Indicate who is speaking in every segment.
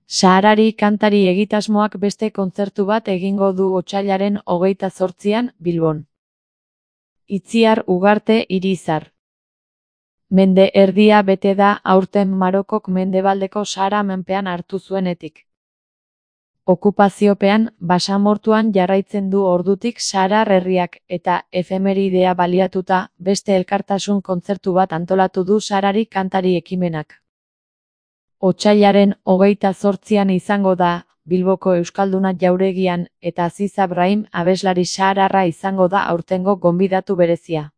Speaker 1: Saharari kantari egitasmoak beste kontzertu bat egingo du otsailaren 28an Bilbon. Itziar Ugarte Irizar. Mende erdia bete da aurten Marokok mendebaldeko Sahara menpean hartu zuenetik. Okupaziopean, basamortuan jarraitzen du ordutik Saharar herriak eta efemeridea baliatuta beste elkartasun kontzertu bat antolatu du Saharari kantari ekimenak. Otsailaren 28an izango da, Bilboko Euskalduna jauregian eta Aziza Brahim abeslari sahararra izango da aurtengo gonbidatu berezia.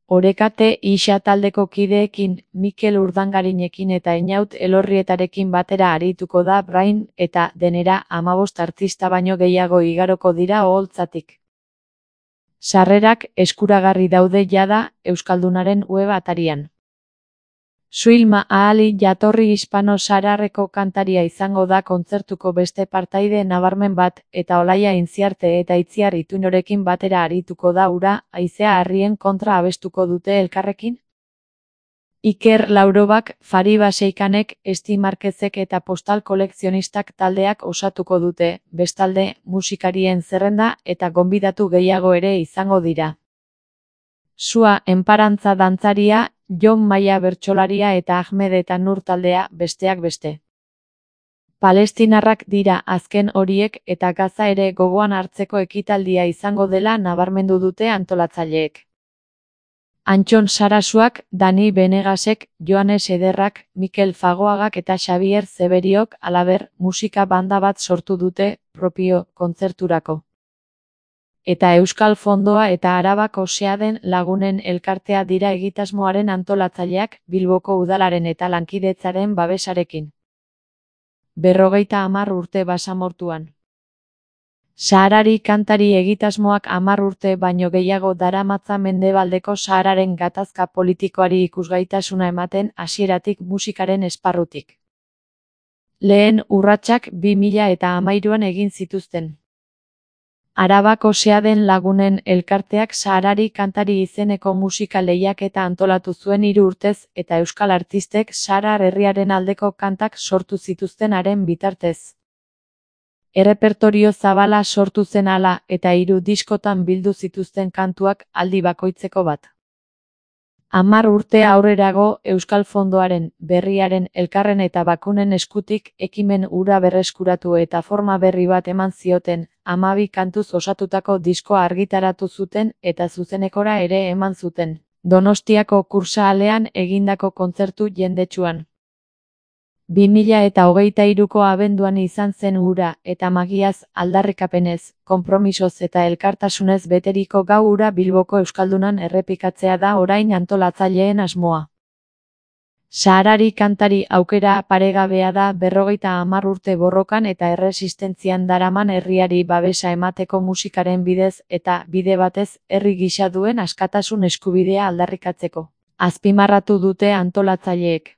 Speaker 1: Orekate Ixa taldeko kideekin, Mikel Urdangarinekin eta Einaut Elorrietarekin batera arituko da Brahim eta denera 15 artista baino gehiago igaroko dira oholtzatik. Sarrerak eskuragarri daude jada Euskaldunaren web atarian. Suilma Ahali jatorri hispano-sahararreko kantaria izango da kontzertuko beste partaide nabarmen bat, eta Olaia Intziarte eta Itziar Ituinorekin batera arituko da ura, haizea harrien kontra abestuko dute elkarrekin. Iker Laurobak, Fariba Seikanek, Esti Markezek eta Postal Kolekzionistak taldeak osatuko dute, bestalde, musikarien zerrenda eta gonbidatu gehiago ere izango dira. Sua Enparantza dantzaria, Jon Maia bertsolaria eta Ahmed eta Nur taldea, besteak beste. Palestinarrak dira azken horiek eta Gaza ere gogoan hartzeko ekitaldia izango dela nabarmendu dute antolatzaileek. Antxon Sarasuak, Dani Benegasek, Joanes Ederrak, Mikel Fagoagak eta Xabier Zeberiok halaber musika banda bat sortu dute propio kontzerturako. Eta Euskal Fondoa eta Arabako Seaden Lagunen elkartea dira egitasmoaren antolatzaileak Bilboko udalaren eta lankidetzaren babesarekin. 50 urte basamortuan. Saharari kantari egitasmoak 10 urte baino gehiago daramatza mendebaldeko Sahararen gatazka politikoari ikusgaitasuna ematen hasieratik musikaren esparrutik. Lehen urratsak 2013an egin zituzten. Arabako Seaden Lagunen elkarteak Saharari kantari izeneko musika lehiaketa antolatu zuen 3 urtez eta euskal artistek Saharar herriaren aldeko kantak sortu zituzten haren bitartez. Errepertorio zabala sortu zen hala eta 3 diskotan bildu zituzten kantuak aldi bakoitzeko bat. 10 urte aurrerago Euskal Fondoaren, Berriaren, Elkarren eta Bakunen eskutik ekimen hura berreskuratu eta forma berri bat eman zioten, 12 kantuz osatutako diskoa argitaratu zuten eta zuzenekora ere eman zuten, Donostiako Kursaalean egindako kontzertu jendetsuan. 2023ko abenduan izan zen hura eta magiaz, aldarrikapenez, konpromisoz eta elkartasunez beteriko gau hura Bilboko Euskaldunan errepikatzea da orain antolatzaileen asmoa. Saharari kantari aukera paregabea da 50 urte borrokan eta erresistentzian daraman herriari babesa emateko musikaren bidez eta bide batez herri gisa duen askatasun eskubidea aldarrikatzeko. Azpimarratu dute antolatzaileek.